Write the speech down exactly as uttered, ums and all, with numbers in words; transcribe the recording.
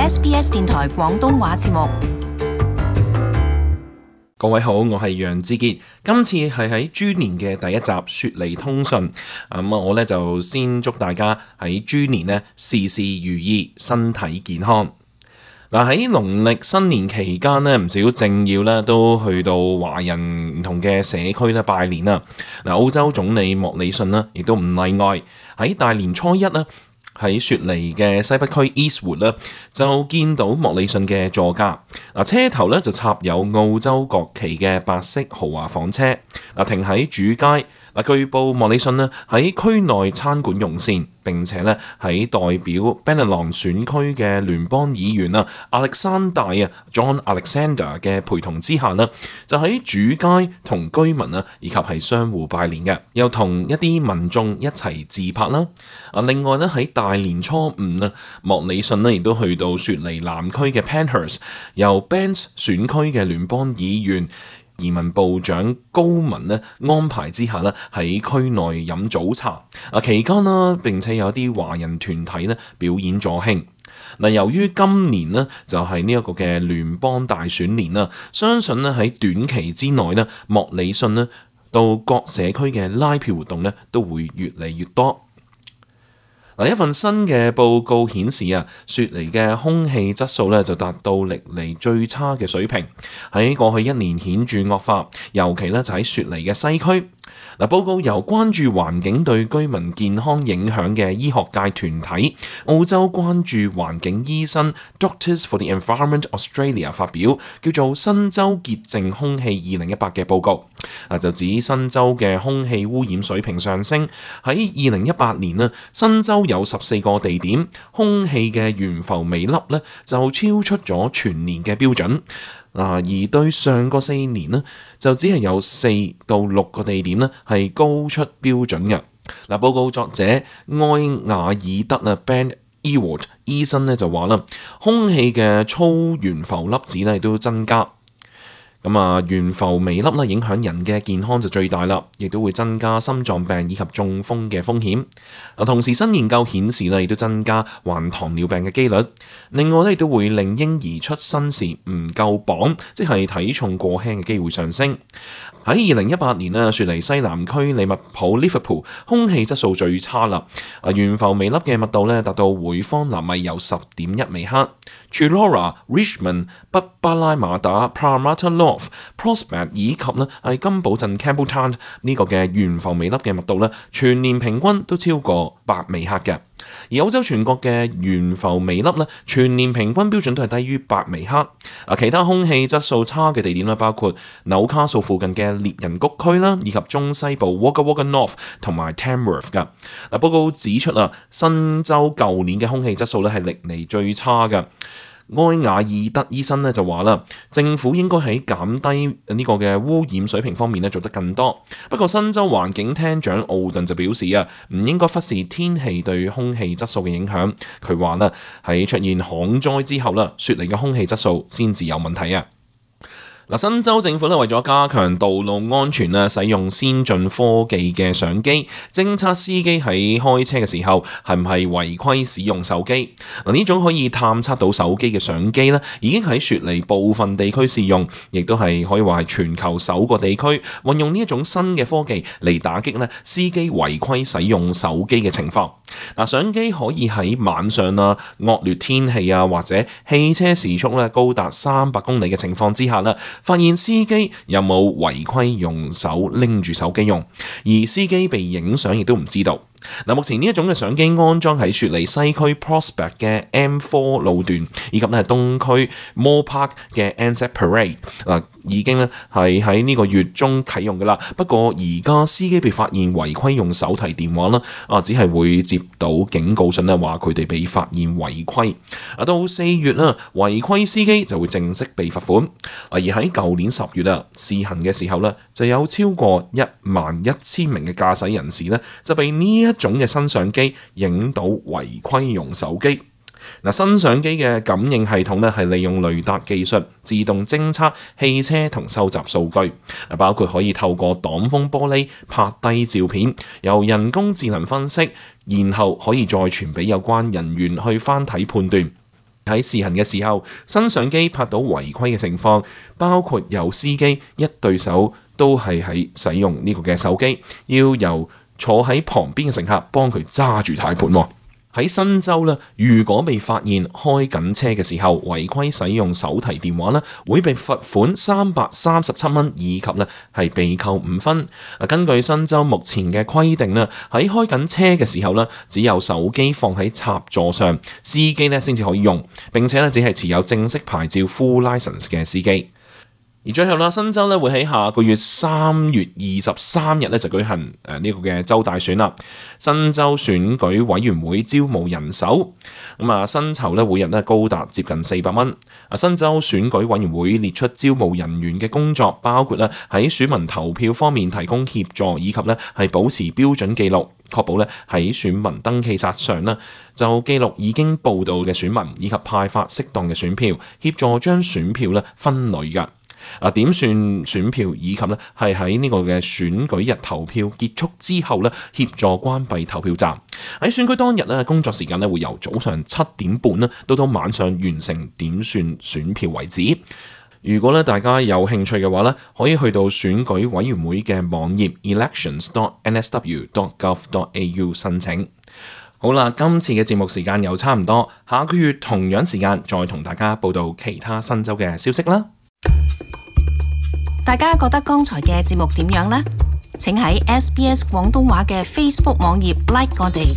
S B S 電台廣東話節目。各位好，我係楊志傑。今次係喺豬年嘅第一集雪梨通訊，咁我咧就先祝大家喺豬年呢事事如意，身體健康。嗱，喺農曆新年期間呢，唔少政要咧都去到華人唔同嘅社區咧拜年啦。嗱，澳洲總理莫里遜呢亦都唔例外，喺大年初一呢，喺雪梨嘅西北區 Eastwood 咧，就見到莫里遜嘅座駕。嗱，車頭咧就插有澳洲國旗嘅白色豪華房車，嗱，停喺主街。嗱，據報莫里遜咧喺區內餐館用膳，並且咧喺代表 Bennelong 選區嘅聯邦議員啊亞歷山大啊 John Alexander 嘅陪同之下咧，就喺主街同居民啊以及係商戶拜年嘅，又同一啲民眾一齊自拍啦。啊，另外咧喺大年初五啊，莫里遜咧亦都去到雪梨南區嘅 Penhurst， 由 Banks 選區嘅聯邦議員移民部長高文咧安排之下咧喺區內飲早茶。啊，期間啦，並且有啲華人團體咧表演助興。嗱，由於今年呢就係呢一個嘅聯邦大選年啦，相信咧喺短期之內咧，莫里遜咧到各社區嘅拉票活動咧都會越嚟越多。嗱，一份新嘅報告顯示啊，雪梨嘅空氣質素咧就達到歷嚟最差嘅水平，喺過去一年顯著惡化，尤其咧就喺雪梨嘅西區。嗱，報告由關注環境對居民健康影響嘅醫學界團體澳洲關注環境醫生 Doctors for the Environment Australia 發表，叫做新州潔淨空氣二零一八嘅報告。啊，就指新州嘅空氣污染水平上升，喺二零一八年呢，新州有十四個地點空氣嘅懸浮微粒咧就超出咗全年嘅標準。而對上個四年呢，就只係有四到六個地點呢係高出標準嘅。嗱，報告作者埃瓦爾德啊 Ben Ewart 醫生咧就話啦，空氣嘅粗懸浮粒子咧都增加。咁啊，懸浮微粒咧影響人嘅健康就最大啦，亦都會增加心臟病以及中風嘅風險。啊，同時新研究顯示咧，亦都增加患糖尿病嘅機率。另外咧，亦都會令嬰兒出生時唔夠磅，即係體重過輕嘅機會上升。喺二零一八年咧，雪梨西南區利物浦 Liverpool 空氣質素最差啦。啊，懸浮微粒嘅密度咧達到每方納米有十點一微克。Chullora、Richmond、北巴拉馬打、Parramatta North、Prospect 以及咧係金寶鎮 Campbelltown 呢個嘅懸浮微粒嘅密度咧，全年平均都超過八微克嘅。而澳洲全國嘅懸浮微粒咧，全年平均標準都係低於八微克。啊，其他空氣質素差嘅地點咧，包括紐卡素附近嘅獵人谷區啦，以及中西部 Wagga Wagga North 同埋 Tamworth 噶。嗱，報告指出啊，新州舊年嘅空氣質素咧係歷嚟最差嘅。埃瓦爾德醫生咧就話啦，政府應該喺減低呢個嘅污染水平方面咧做得更多。不過新州環境廳長奧頓就表示啊，唔應該忽視天氣對空氣質素嘅影響。佢話啦，喺出現旱災之後啦，雪梨嘅空氣質素先至有問題啊。嗱，新州政府咧為咗加強道路安全啊，使用先進科技嘅相機偵測司機喺開車嘅時候係唔係違規使用手機。嗱，呢種可以探測到手機嘅相機咧，已經喺雪梨部分地區試用，亦都係可以話係全球首個地區運用呢一種新嘅科技嚟打擊咧司機違規使用手機嘅情況。嗱，相機可以喺晚上啊、惡劣天氣啊或者汽車時速咧高達三百公里嘅情況之下咧，發現司機有冇違規用手拎住手機用，而司機被影相亦都唔知道。嗱，目前呢一種嘅相機安裝喺雪梨西區 Prospect 嘅 M 四 路段，以及咧係東區 Moore Park 嘅 Anzac Parade， 嗱，已經咧係喺呢個月中啟用噶啦。不過而家司機被發現違規用手提電話啦，啊，只係會接到警告信咧，話佢哋被發現違規。啊，到四月啦，違規司機就會正式被罰款。啊，而喺舊年十月啊試行嘅時候咧，就有超過一萬一千名嘅駕駛人士咧就被呢一種嘅新相機影到違規用手機。嗱，新相機嘅感應系統咧係利用雷達技術自動偵測汽車同收集數據，包括可以透過擋風玻璃拍低照片，由人工智能分析，然後可以再傳俾有關人員去翻睇判斷。喺試行嘅時候，新相機拍到違規嘅情況，包括有司機一對手都係喺使用呢個嘅手機，要由坐喺旁邊嘅乘客幫佢揸住軚盤。喺新州咧，如果被發現開緊車嘅時候違規使用手提電話咧，會被罰款三百三十七蚊，以及咧係被扣五分。根據新州目前嘅規定咧，喺開緊車嘅時候咧，只有手機放喺插座上，司機咧先至可以用，並且咧只係持有正式牌照 full license 嘅司機。而最後啦，新州咧會喺下個月三月二十三日咧就舉行誒呢個嘅州大選啦。新州選舉委員會招募人手，咁啊薪酬咧每日咧高達接近四百蚊。啊，新州選舉委員會列出招募人員嘅工作，包括咧喺選民投票方面提供協助，以及咧係保持標準記錄，確保咧喺選民登記冊上咧就記錄已經報到嘅選民，以及派發適當嘅選票，協助將選票咧分類㗎。啊，點算選票以及咧係喺呢個嘅選舉日投票結束之後咧，協助關閉投票站。喺選舉當日咧，工作時間咧會由早上七點半咧到到晚上完成點算選票為止。如果咧大家有興趣嘅話咧，可以去到選舉委員會嘅網頁 elections dot n s w dot gov dot a u 申請。好啦，今次嘅節目時間又差唔多，下個月同樣時間再同大家報道其他新州嘅消息啦。大家覺得剛才嘅節目點樣呢？請喺 S B S 廣東話嘅 Facebook 網頁 like 我哋。